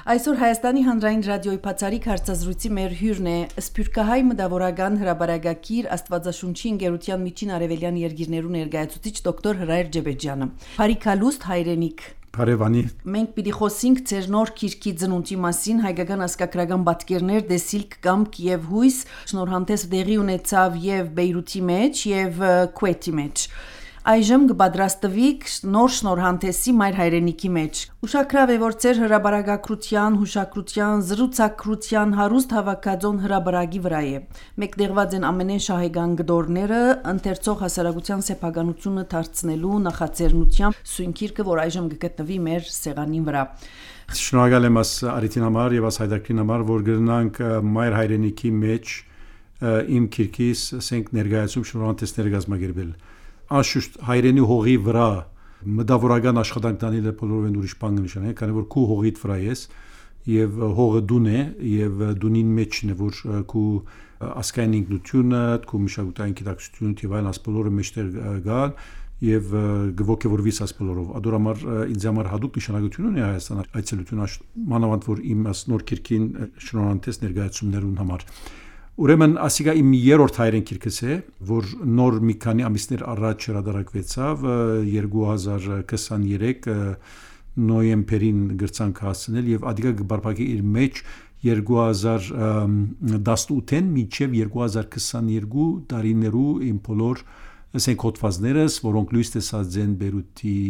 Այսօր Հայաստանի հանրային ռադիոյի բացառիկ հարցազրույցի մեր հյուրն է Սփյուռքահայ մտավորական հրաբարակագիր Աստվածաշունչի ընկերության Միջին Արևելյան երկիրներու ներկայացուցիչ դոկտոր Հրայր Ջեբեջյանը։ Փարիքալուստ հայրենիք Բարևանի։ Մենք պիտի խոսենք ձեր նոր քիրքի ծնունդի մասին, հայկական ասկակրական պատկերներ, դեսիլք, կամք եւ հույս, շնորհանդես դեղի ունեցավ եւ Բեյրութի մեջ եւ Քուեթի մեջ։ Այժմ կպատրաստվիք նոր շնորհանդեսի մայր հայրենիքի մեջ։ Ուշագրավ է, որ ձեր հրաբարակագրության, հուշակրության, զրուցակրության հարուստ հավաքածոն հրաբարակի վրա է։ Մեկտեղված են ամենեն շահեգան գդորները, ընթերցող հասարակության սեփականությունը դարձնելու նախաձեռնությամբ սույնքիրքը, որ այժմ կգտնվի մեր սեղանին վրա։ Շնորհակալ եմ Արիթին համար եւ Հայդակրին համար, որ գտնանք մայր հայրենիքի մեջ իմ քիրքիս ասենք ներկայացում շնորհանդեսները կազմակերպել։ Աշուշտ հայրենի հողի վրա մտավորական աշխատանք տանելը բոլորովին ուրիշ բան նշան է, քանի որ քու հողիդ վրա ես եւ հողը դուն է եւ դունին մեջն է, որ քու ասկային ինքնությունը, քու մշակութային գիտակցությունը եւ այլն ասպոլորը մեջտեղ գալ եւ գողքեվորվիս ասպոլորով։ Ադորամար ինձ համար հadoop նշանակություն ունի Հայաստան այցելությունը, մանավանդ որ իմ նոր քիրքին շնորհանդես ներկայացումներուն համար։ Ուրեմն ասիգա իմ երրորդ հայրեն քիրքս է, որ նոր մի քանի ամիսներ առաջ հրադարակվեցավ 2023 նոյեմբերին գրցանք հասցնել եւ ադիգա գբարբակի իր մեջ 2018-ին մինչեւ 2022 տարիներու իմ բոլոր ասենք հոդվածներս, որոնք լույս տեսած են Բեյրութի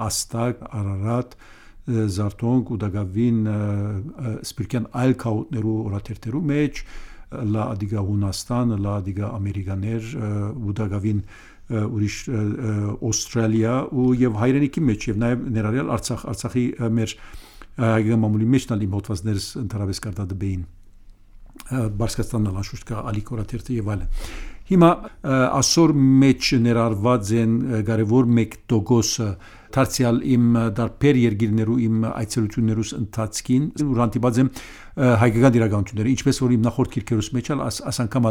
Աստակ, Արարատ, Զարտոնք ու Դագավին սպիրկյան այլ քաուտներու օրաթերթերու մեջ Լա ադիգա Հունաստան, լա ադիգա Ամերիկաներ, Ուդագավին ուրիշ Ավստրալիա ու եւ հայրենիքի մեջ եւ նաեւ ներառյալ Արցախի մեր հայկական մամուլի մեջ տալի մոտվածներս ընդհանրապես կարտադբեին Բարսկաստանն անշուշտ կա Ալիկորաթերթը եւ այլն։ Հիմա ասոր մեջ ներառված են կարևոր մեկ տոկոսը դարձյալ իմ դարբեր երկիրներու իմ այցելություններուս ընթացքին ուրանտիբած եմ հայկական իրականությունները ինչպես որ իմ նախորդ քիրքերուս մեջ ասանգամ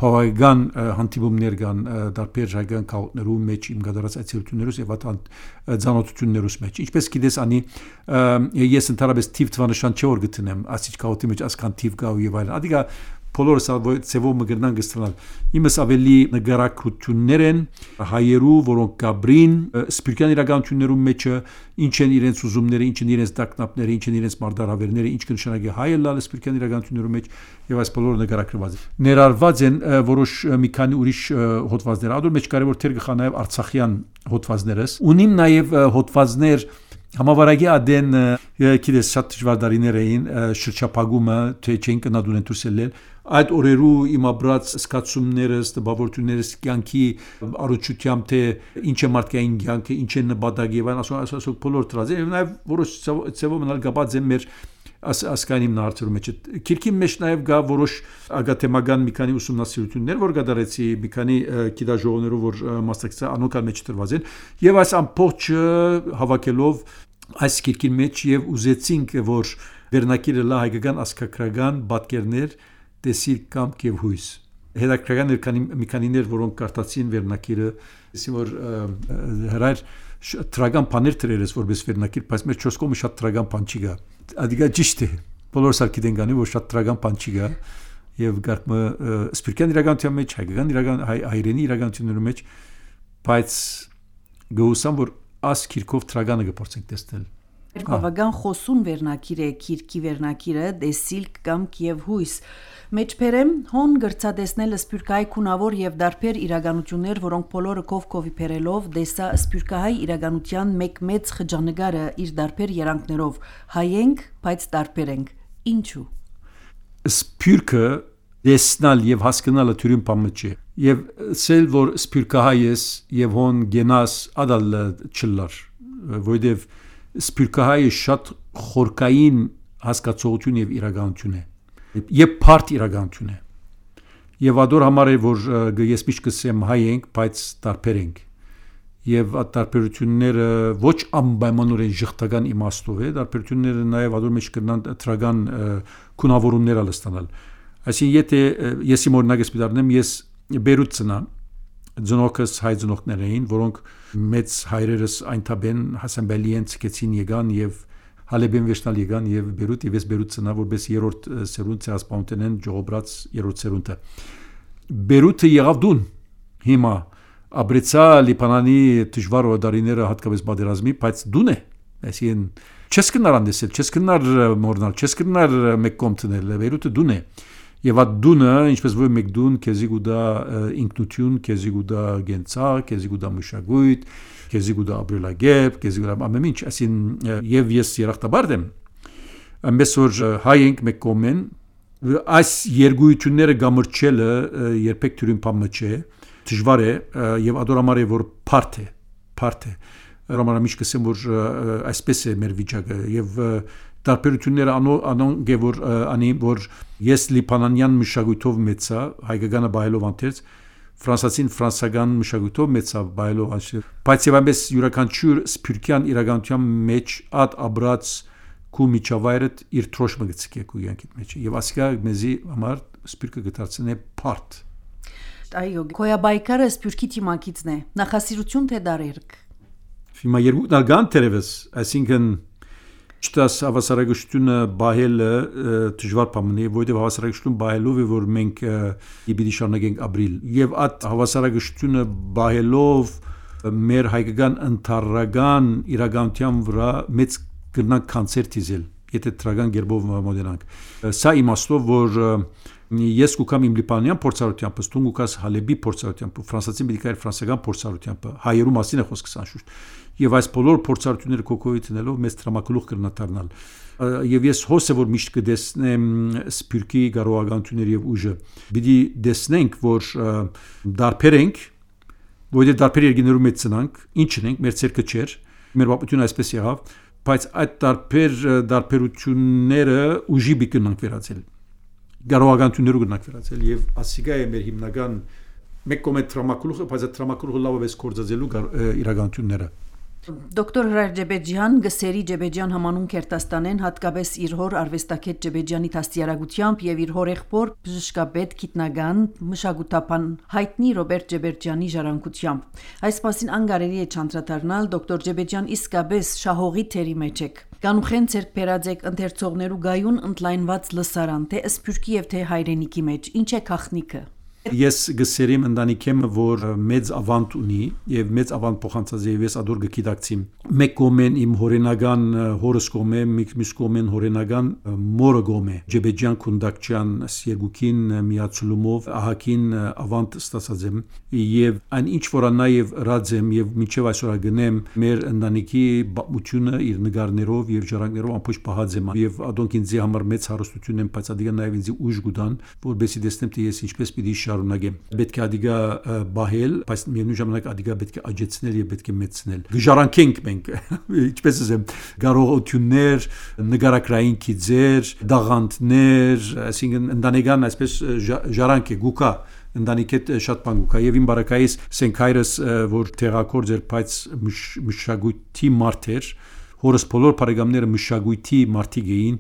բավական հանդիպումներ կան դարբեր հայկական քաուտներու մեջ իմ գդարած այցելություններուս եւ ցանոթություններուս մեջ ինչպես գիտես անի ես ընդհանրապես թիվ թվանշան չէ որ գտնեմ ասիչ քաուտի մեջ ասքան թիվ կա եւ այլն ադիգա բոլորս ծևով մգրնան գստանալ իմս ավելի նգարակրություններ են հայերու որոնք կաբրին սպիրկյան իրականություններում մեջը ինչ են իրենց ուզումները ինչ են իրենց տակնապները ինչ են իրենց մարդարավերները ինչ կնշանակի հայը լալ սպիրկյան իրականություններում մեջ եւ այս բոլորը նգարակրված ներառված են որոշ մի քանի ուրիշ հոդվածներ ադոր մեջ կարևոր թեր գխա նաեւ արցախյան հոդվածներս ունիմ նաեւ հոդվածներ Համավարակի ադեն գիտես շատ դժվար դարիներ էին շրջապագումը թե չեն կնադուն ընտրսելել այդ օրերու իմ ապրած սկացումներս տպավորություններս կյանքի առողջությամբ թե ինչ է մարդկային կյանքը ինչ է նպատակը եւ ասո բոլոր դրած եւ նաեւ որոշ ծավալ մնալ գաբած են մեր ասկային նարցերու մեջ քիրքի մեջ նաեւ գա որոշ ագաթեմական մի քանի ուսումնասիրություններ որ գդարեցի մի քանի գիտաժողովներով որ մասնակցեցա անոքալ մեջ դրված են եւ այս ամբողջ հավաքելով այս քիրքի մեջ եւ ուզեցինք որ վերնակիրը լա հայկական ասկակրական պատկերներ դեսիլ կամք եւ հույս հետաքրքրական էր մի քանիներ որոնք կարտացին վերնակիրը ասի որ հրայր տրագան բաներ դրերես որպես վերնակիր բայց մեր 4 կողմը շատ տրագան բան չի գա ադիգա ճիշտ է բոլորս ալքիդեն գանի որ շատ տրագան բան չի գա եւ գարկը սպիրկյան իրականության մեջ հայկական հայրենի իրականությունների մեջ բայց գուսամ որ աս քիրքով տրագանը գործենք տեսնել բավական խոսուն վերնակիր է քիրքի վերնակիրը դեսիլք կամք եւ հույս մեջբերեմ հոն գրծադեսնել սպյուրքահայ քունավոր եւ դարբեր իրականություններ որոնք բոլորը կովի բերելով դեսա սպյուրքահայ իրականության մեկ մեծ խճանկարը իր դարբեր երանգներով հայենք բայց դարբեր ենք ինչու սպյուրքը դեսնալ եւ հասկանալը թյուրին բան չէ եւ սել որ սպյուրքահայ ես եւ հոն գենաս ադալ չլար որովհետեւ սպյուրքահայը շատ խորքային հասկացողություն եւ իրականություն է եւ բարդ իրականություն է եւ ադոր համար է որ ես միշտ կսեմ հայ ենք բայց տարբեր ենք եւ այդ տարբերությունները ոչ անպայմանորեն ժխտական իմաստով է տարբերությունները նաեւ ադոր մեջ կնան տրագան քունավորումներ ալստանալ այսինքն եթե ես իմ օրինակս պիտարնեմ ես Բեյրութ ծնա Ձնոքս հայ ձնոքներ էին, որոնք մեծ հայրերս այնտաբեն Հասանբելիեն ցկեցին եկան եւ Հալեբեն վերջնալ եկան եւ Բեյրութ եւ ես Բեյրութ ծնա որպես երրորդ սերունդ ցեղասպանութենեն ժողոբրած երրորդ սերունդը Բեյրութը եղավ դուն հիմա Աբրեցա Լիբանանի դժվար օրդարիները հատկապես պատերազմի բայց դուն է այսին չես կնար անդեսել չես կնար մորնալ չես կնար մեկ կողմ տնել Բեյրութը դուն է եւ այդ դունը ինչպես որ մեկ դուն քեզի գուտա ինքնություն քեզի գուտա գենցա քեզի գուտա մշակույթ քեզի գուտա ապրելակերպ քեզի գուտա ամեն ինչ այսին եւ ես երախտաբար եմ ամենս որ հայենք մեկ կողմեն այս երգույթները գամրջելը երբեք թյուրին բան չէ դժվար է եւ ադորամար է որ բարդ է Ռոմանամիջ կսեմ որ այսպես է մեր վիճակը եւ տարբերությունները անոնք է որ անի որ ես լիբանանյան մշակույթով մեծա հայկականը բայելով անտերց ֆրանսացին ֆրանսական մշակույթով մեծա բայելով անշեր բայց եւ այնպես յուրաքանչյուր սփյուռքյան իրականության մեջ ад աբրած քու միջավայրդ իր թրոշմը գցկե քու յանքիդ մեջ եւ ասկա մեզի համար սփյուռքը գտածնե բարդ այո կոյաբայկարը սփյուռքի թիմակիցն է նախասիրություն թե դարերք Հիմա երկու դալգան տերևս այսինքն Չտաս հավասարակշռությունը բահելը դժվար բան է, որովհետև հավասարակշռություն բահելով է որ մենք պիտի շարունակենք ապրել եւ այդ հավասարակշռությունը բահելով մեր հայկական ընթառական իրականության վրա մեծ կրնանք կանցեր դիզել, եթե տրագան գերբով մոդելանք։ Սա իմաստով որ ես կուքամ իմ լիբանանյան փորձառությամբ, ստուն կուքաս Հալեբի փորձառությամբ, ֆրանսացին պիտի կայր ֆրանսական փորձառությամբ, հայերու մասին է խոսքս անշուշտ։ Եվ այս բոլոր փորձառությունները կոկոյի տնելով մեծ տրամակլուխ կրնատարնալ եւ ես հոս է որ միշտ կդեսնեմ սփյուռքի կարողականությունները եւ ուժը պիտի դեսնենք որ դարբեր ենք որովհետեւ դարբեր երկիներու մեջ ծնանք ինչն ենք մեր ցերկը չէր մեր բապությունը այսպես եղավ բայց այդ դարբերությունները ուժի բիկնանք վերածել կարողականություններու կնանք վերածել եւ ասիգա է մեր հիմնական մեկ կոմետ տրամակլուխը բայց այդ տրամակլուխը լավ է կորձածելու իրականությունները Դոկտոր Հրայր Ջեբեջյան գսերի Ջեբեջյան համանուն Քերտաստանեն հատկապես իր հոր արվեստագետ Ջեբեջյանի դաստիարակությամբ եւ իր հորեղբոր բժշկապետ գիտնական մշակութապան հայտնի Ռոբերտ Ջեբեջյանի ժառանգությամբ այս մասին անգարելի է չանդրադառնալ դոկտոր Ջեբեջյան իսկապես շահողի թերի մեջ եք Կանուխեն ցերկ բերածեք ընթերցողներու գայուն ընդլայնված լսարան թե սփյուռքի եւ թե հայրենիքի մեջ ինչ է գախնիկը Ես գսերիմ ընտանիքեմ որ մեծ ավանդ ունի եւ մեծ ավանդ փոխանցած եւ ես ադոր գկիդակցիմ մեկ կոմեն իմ հորենական հորս կոմե մյուս կոմեն հորենական մորը կոմե Ջեբեջյան Քունդակչյան Սերգուկին միացումով ահակին ավանդ ստացած եմ եւ այն ինչ որ նաեւ ռադեմ եւ միջև այսօր գնեմ մեր ընտանիքի բացությունը իր նկարներով եւ ժառանգներով ամբողջ պահած եմ եւ ադոնք ինձ համար մեծ հարստություն են բայց ադիգա նաեւ ինձ ուժ գուտան որբեսի դեսնեմ թե ես ինչպես պիտի շարունակեմ պետք է ադիգա բահել բայց միևնույն ժամանակ ադիգա պետք է աջեցնել եւ պետք է մեծնել գժարանքենք մենք ինչպես ասեմ կարողություններ նկարակրային քիզեր դաղանդներ այսինքն ընտանեկան այսպես ժարանք է գուկա ընտանիքետ շատ բան գուկա եւ իմ բարակայիս սենքայրս որ տեղակորձ էր բայց մշակույթի մարդեր հորս բոլոր բարեկամները մշակույթի մարդիկ էին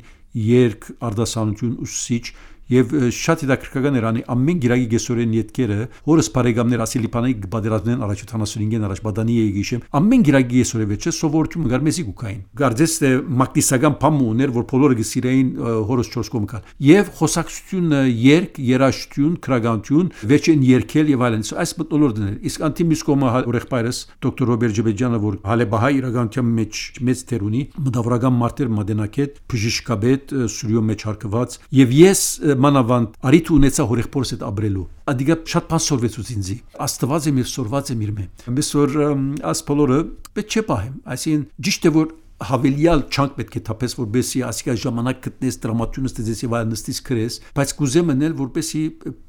երկ արդասանություն ուսուցիչ Եվ շատ հետաքրքրական էր անի ամեն գիրագի գեսորեն յետքերը հորս բարեկամներ ասի լիբանանի բادرազնեն առաջ 75-ին առաջ բադանի էի գիշեմ ամեն գիրագի գեսորը վեճը սովորություն գար մեզի գուկային գարձես թե մակտիսական բամ ուներ որ բոլորը գսիրային հորս 4 կողմ կար եւ խոսակցությունը երկ երաշտություն քրագանություն վեճեն երկել եւ այլն այս մտնոլորտն էր իսկ անտիմիս կողմը ուրեղբայրս դոկտոր Ռոբերտ Ջեբեջյանը որ հալեբահայ իրականության մեջ մեծ թեր ունի մտավորական մարտեր մադենակետ բժշկապետ սուրյո մեջ հարկված եւ ես մանավանդ արիթ ունեցա հորեղբորս հետ ապրելու ադիգա շատ բան սորվեցուց ինձի աստված եմ եւ սորված եմ իր մե ամես որ աս բոլորը պետք չէ պահեմ այսին ճիշտ է որ հավելյալ չանք պետք է թափես որբեսի ասիկա ժամանակ գտնես դրամատուրգը ստեծես եւ նստիս քրես բայց կուզեմ մնել որբեսի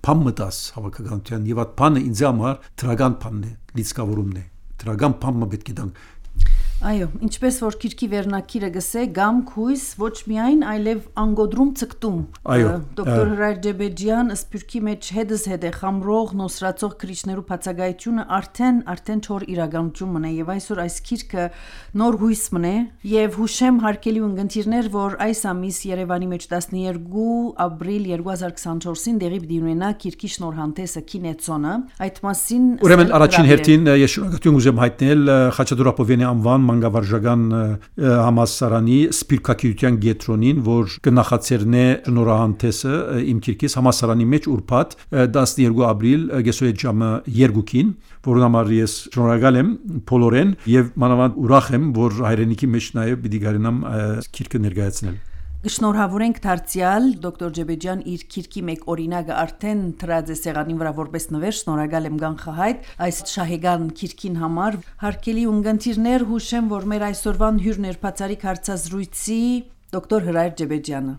բան մտած հավաքականության եւ այդ բանը ինձ համար դրական բանն է լիցկավորումն է դրական բանը պետք է դան Այո, ինչպես որ քիրքի վերնակիրը գսե գամ քույս ոչ միայն այլև անգոդրում ցկտում դոկտոր Հրայր Ջեբեջյան սփյուռքի մեջ հետս հետ է խամրող նոսրացող քրիչներու բացակայությունը արդեն չոր իրականություն մնա եւ այսօր այս քիրքը նոր հույս մնա եւ հուշեմ հարկելի ունգընտիրներ որ այս ամիս Երևանի մեջ 12 ապրիլ 2024-ին դեղի պիտի ունենա քիրքի շնորհանդեսը Կինեցոնը այդ մասին Ուրեմն առաջին հերթին ես շնորհակալություն ուզեմ հայտնել Խաչատուր Ապովյանի անվան մանկավարժական համալսարանի սպիրկագիտության կենտրոնին, որ կնախացերնե շնորհանդեսը իմ քիրքից համալսարանի մեջ ուրբաթ 12 ապրիլ գեսոյետ ժամը 2-ին, որոնց համար ես շնորհակալ եմ բոլորեն եւ մանավանդ ուրախ եմ, որ հայրենիքի մեջ նաեւ պիտի գարենամ քիրքը ներկայացնել։ Շնորհավորենք դարձյալ դոկտոր Ջեբեջյան իր քիրքի մեկ օրինակը արդեն դրած է սեղանի վրա որպես նվեր։ Շնորհակալ եմ Գանխահայտ այս շահեգան քիրքին համար։ Հարգելի ունգընտիրներ, հուշեմ, որ մեր այսօրվան հյուրն էր բացառիկ հարցազրույցի դոկտոր Հրայր Ջեբեջյանը։